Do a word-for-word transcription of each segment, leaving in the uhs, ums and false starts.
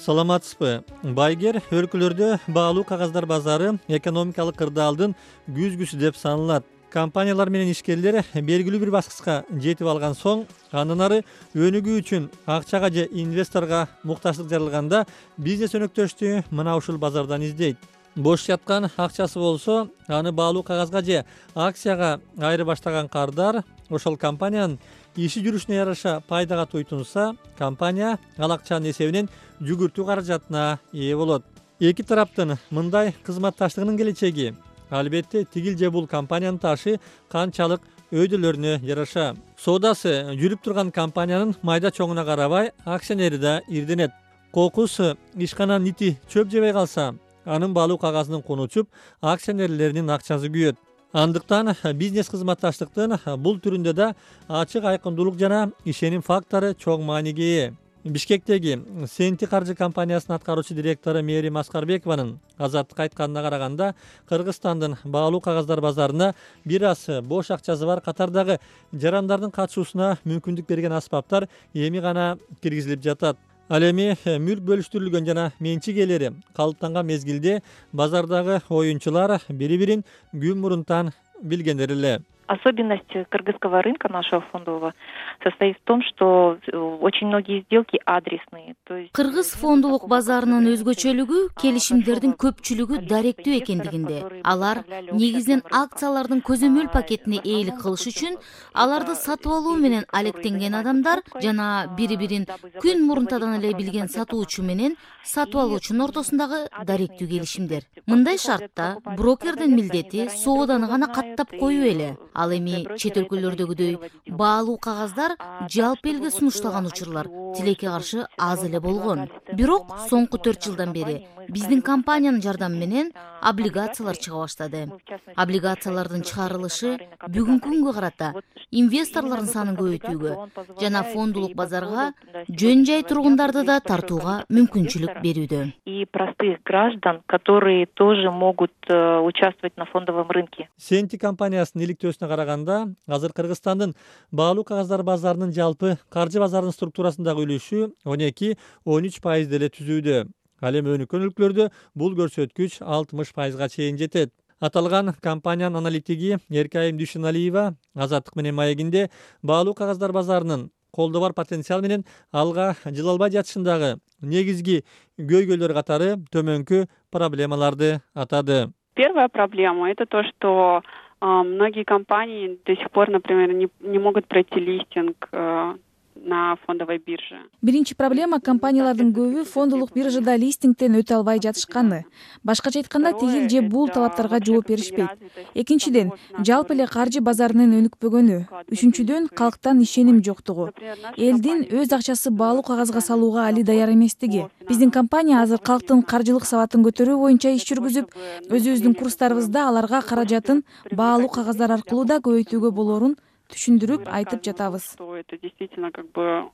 Саламатсызбы? Байгер өлкөлөрдө баалуу кагаздар базары экономикалык кырдаалдын күзгүсү деп саналат. Компаниялар менен ишкерлер белгилүү бир баскычка жетип алган соң, андан ары өнүгүү үчүн акчага же инвесторго муктаждык жаралганда бизнес өнөктөштү мына ушул базардан издейт. Бош жаткан акчасы болсо, аны баалуу кагазга же акцияга айыры баштаган кардар ошол компаниянын иши жүрүшүнө яраша пайдага туйтунса, компания ал акчанын эсебинен жүгүртүү каражатына ээ болот. Эки тараптын мындай кызматташтыгынын келечеги албетте тигил же бул компаниянын ташы канчалык өйдөлөрүнө жараша. Соодасы жүрүп турган компаниянын майда чоңуна карабай акционери да ирденет. Кокус ишкананын ити чөп жебей калса, анын баалуу кагазынын куну учуп, акционерлеринин акчасы күйөт. Андыктан бизнес кызматташтыктын бул түрүндө да ачык айкындуулук жана ишеним фактору чоң мааниге ээ. Бишкектеги Сенти каржы компаниясынын аткаруучу директору Мээрим Аскарбекованын Азаттыкка айтканына караганда, Кыргызстандын баалуу кагаздар базарына бир аз бош акчасы бар катардагы жарандардын катышуусуна мүмкүндүк берген аспаптар эми гана киргизилип жатат. Ал эми мүлк бөлүштүрүлгөн жана менчик ээлери калыптанган мезгилде базардагы оюнчулар бири-бирин күн мурунтан билгендер эле. Особенность кыргызского рынка нашего фондового состоит в том, что очень многие сделки адресные. Кыргыз фондулук базарынын өзгөчөлүгү келишимдердин көпчүлүгү даректүү экендигинде. Алар негизинен акциялардын көзөмөл пакетине ээлик кылыш үчүн аларды сатып алуу менен алектенген адамдар жана бири-бирин күн мурунтадан эле билген сатуучу менен сатып алуучунун ортосундагы даректүү келишимдер. Мындай шартта брокердин милдети сооданы гана каттап коюу эле. Ал эми чет өлкөлөрдөгүдөй баалуу кагаздар жалпы элге сунушталган учурлар тилекке каршы аз эле болгон. Бирок соңку төрт жылдан бери биздин компаниянын жардамы менен облигациялар чыга баштады. Облигациялардын чыгарылышы бүгүнкү күнгө карата инвесторлордун санын көбөйтүүгө жана фондулук базарга жөн жай тургундарды да тартууга мүмкүнчүлүк берүүдө. И простых граждан, которые тоже могут участвовать на фондовом рынке. Сенти компаниясынын иликтөөсүнө караганда, азыр Кыргызстандын баалуу кагаздар базарынын жалпы каржы базарынын структурасындагы үлүшү он эки — он үч пайыз деле түзүүдө. Ал эми өнүккөн өлкөлөрдө бул көрсөткүч алтымыш пайызга чейин жетет. Аталган компаниянын аналитиги Эркайым Дүйшеналиева Азаттык менен маегинде баалуу кагаздар базарынын колдо бар потенциал менен алга жыла албай жатышындагы негизги көйгөйлөр катары төмөнкү проблемаларды атады. Первая проблема — это то, что э, многие компании до сих пор, например, не, не могут пройти листинг э, на фондовой бирже. Биринчи проблема — компаниялардын көбү фондулук биржада листингден өтө албай жатышканы. Башкача айтканда, тигил же бул талаптарга жооп беришпейт. Экинчиден, жалпы эле каржы базарынын өнүкпөгөнү. Үчүнчүдөн, калктан ишеним жоктугу. Элдин өз акчасы баалуу кагазга салууга али даяр эместиги. Биздин компания азыр калктын каржылык сабатын көтөрүү боюнча иш жүргүзүп, өзүбүздүн курстарыбызда аларга каражатын баалуу кагаздар аркылуу да көбөйтүүгө болоорун түшүндүрүп айтып жатабыз. Это действительно как бы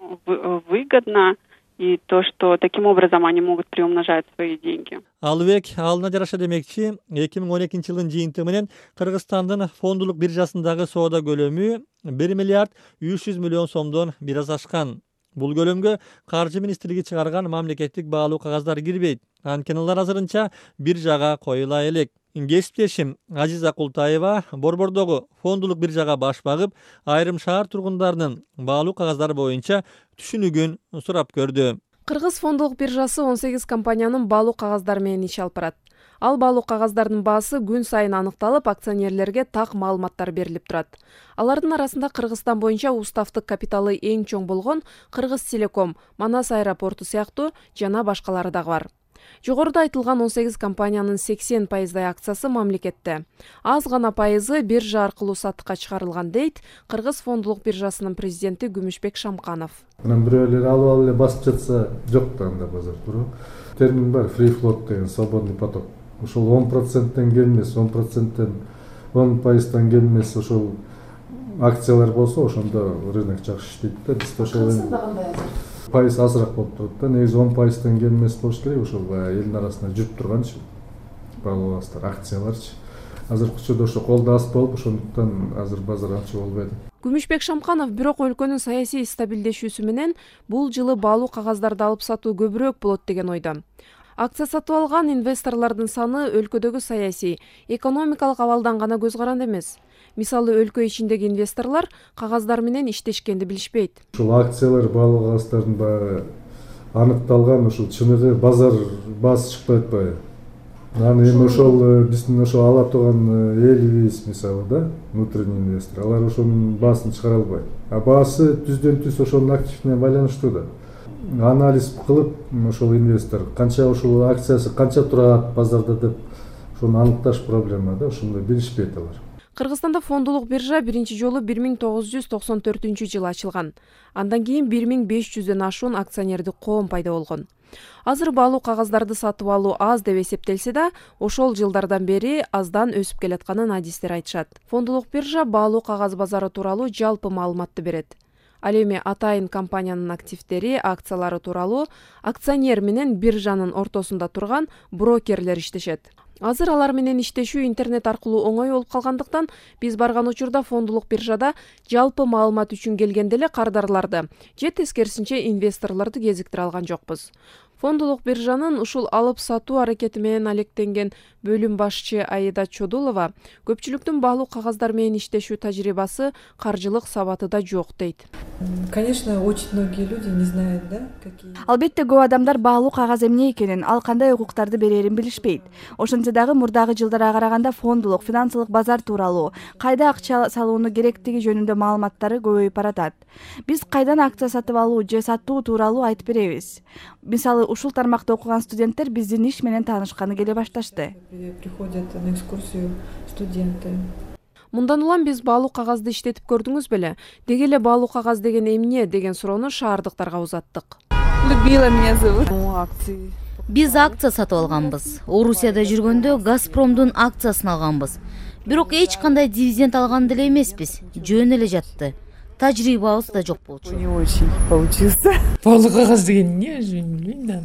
выгодно, и то, что таким образом они могут приумножать свои деньги. Албек алына жараша демекчи, эки миң он экинчи жылдын жыйынтыгы менен Кыргызстандын фондулук биржасындагы соода көлөмү бир миллиард үч жүз миллион сомдон бир аз ашкан. Бул көлөмгө каржы министрлиги чыгарган мамлекеттик баалуу кагаздар кирбейт. Анткени алар азырынча биржага коюла элек. Кесиптешим Азиза Култаева Борбордогу фондулук биржага баш багып, айрым шаар тургундарынын баалуу кагаздары боюнча түшүнүгүн сурап көрдү. Кыргыз фондулук биржасы он сегиз компаниянын баалуу кагаздары менен иш алып барат. Ал баалуу кагаздардын баасы күн сайын аныкталып, акционерлерге так маалыматтар берилип турат. Алардын арасында Кыргызстан боюнча уставдык капиталы эң чоң болгон Кыргыз Телеком, Манас аэропорту сыяктуу жана башкалары дагы бар. Жогоруда айтылган он сегиз компаниянын сексен пайыздай акциясы мамлекетте. Аз гана пайызы биржа аркылуу сатыкка чыгарылган, дейт Кыргыз фондулук биржасынын президенти Күмүшбек Шамканов. Анан бирөөлөр алып алып эле басып жатса, жок да анда базар туру. Термин бар, free float деген, свободный поток. Ошол он проценттен келмес, он проценттен он пайыздан келмес ошол акциялар болсо, ошондо рынок жакшы иштейт да. Биз ошол пайыз азыраак болуп турат да. Негизи он пайыздан келмес болуш керек, ошол элдин арасында жүрүп турганчы баалуу кагаздар, акцияларчы. азыркы учурда ошо колдо аз болуп, ошондуктан азыр базар анча болбойт. Күмүшбек Шамканов бирок өлкөнүн саясий стабилдешүүсү менен бул жылы баалуу кагаздарды алып сатуу көбүрөөк болот деген ойдо. Акция сатып алган инвесторлордун саны өлкөдөгү саясий, экономикалык абалдан гана көз каранды эмес. Мисалы, өлкө ичиндеги инвесторлор кагаздар менен иштешкенди билишпейт. Ушул акциялар баалуу кагаздардын баягы аныкталган ушул чыныгы базар баасы чыкпай атпайбы? Аны эми ошол биздин ошо ала турган элибиз мисалы да, внутренний инвестор, алар ошонун баасын чыгара албайт. А баасы түздөн түз ошонун активине байланыштуу да. Анализ кылып, ошол инвестор канча ушул акциясы канча турат базарда деп ошону аныкташ проблема да, ошондой билишпейт алар. Кыргызстанда фондулук биржа биринчи жолу бир миң тогуз жүз токсон төртүнчү жылы ачылган. Андан кийин бир миң беш жүздөн ашуун акционердик коом пайда болгон. Азыр баалуу кагаздарды сатып алуу аз деп эсептелсе да, ошол жылдардан бери аздан өсүп келатканын адистер айтышат. Фондулук биржа баалуу кагаз базары тууралуу жалпы маалыматты берет. Ал эми атайын компаниянын активдери, акциялары тууралуу акционер менен биржанын ортосунда турган брокерлер иштешет. Азыр алар менен иштешүү интернет аркылуу оңой болуп калгандыктан, биз барган учурда фондулук биржада жалпы маалымат үчүн келгенде эле кардарларды же тескерисинче инвесторлорду кезиктире алган жокпуз. Фондулук биржанын ушул алып сатуу аракети менен алектенген бөлүм башчы Аида Чодулова көпчүлүктүн баалуу кагаздар менен иштешүү тажрыйбасы, каржылык сабаты да жок дейт. Конечно, очень многие люди не знают, да, какие. Албетте көп адамдар баалуу кагаз эмне экенин, ал кандай укуктарды берерин билишпейт. Ошентсе дагы мурдагы жылдарга караганда фондулук, финансылык базар тууралуу, кайда акча салууну керектиги жөнүндө маалыматтары көбөйүп баратат. Биз кайдан акция сатып алуу же сатуу тууралуу айтып беребиз. Мисалы, ушул тармакта окуган студенттер биздин иш менен таанышканы келе башташты. Приходят на экскурсию студенты. Мындан улам биз баалуу кагазды иштетип көрдүңүз беле? Деги эле баалуу кагаз деген эмне деген суроону шаардыктарга узаттык. Людмила меня зовут. Биз акция сатып алганбыз. Орусияда жүргөндө Газпромдун акциясын алганбыз. Бирок эч кандай дивиденд алган деле эмеспиз. Жөн эле жатты. Тажрыйбабыз да жок болчу. Не очень получился. Баалуу кагаз деген эмне? Билбейм да.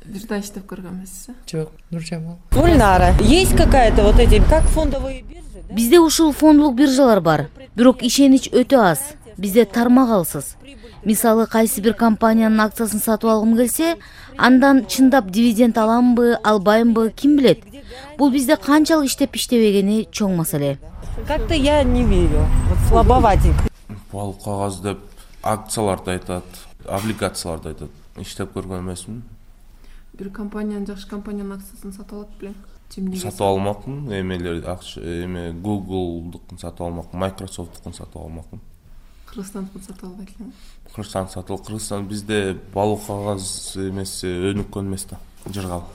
Бирде иштеп көргөнбүзсү? Жок, Нуржамал. Гульнара, есть какая-то вот эти, как фондовые биржи, да? Бизде ушул фондулук биржалар бар, бирок ишенич өтө аз. Бизде тармак алсыз. Мисалы, кайсы бир компаниянын акциясын сатып алгым келсе, андан чындап дивиденд аламбы, албаймбы, ким билет. Бул бизде канчалык иштеп иштебегени чоң маселе. Как-то я не верю. Вот слабоватенько. Баалуу кагаз деп акцияларды айтат, облигацияларды айтат. Иштеп көргөн эмесмин. Бир компаниянын, жакшы компаниянын акциясын сатып алат белең. Сатып алмакмын, эмелер акча, эме Google'дукун сатып алмакмын, Microsoft'дукун сатып алмакмын. Кыргызстандыкын сатып албайт элем. Кыргызстан сатып, Кыргызстан бизде баалуу кагаз эмеси өнүккөн эмес да, жыргал.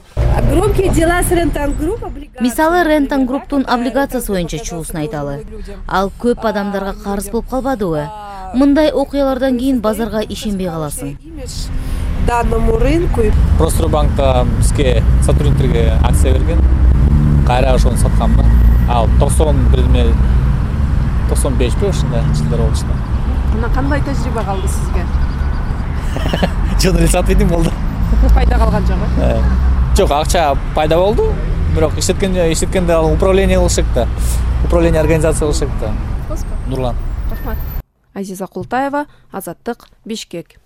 Громкие дела с Рентан Групп. Мисалы, Рентан Групптун облигациясы боюнча чуусун айталы. Ал көп адамдарга карыз болуп калбадыбы? Мындай окуялардан кийин базарга ишенбей каласың. Данному рынку. Простройбанкта бизге сотрудниктерге акция берген. Кайра ошону саткам да. Ал токсон бир токсон беш бе ушундай жылдар болчу да. Мына кандай тажрыйба калды сизге? Жөн эле сатып едим болду. Пайда калган жок? Жок, акча пайда болду. Бирок иштеткенде иштеткенде ал управление кылышык да. Управление организация кылышык да. Нурлан. Рахмат. Азиза Култаева, Азаттык, Бишкек.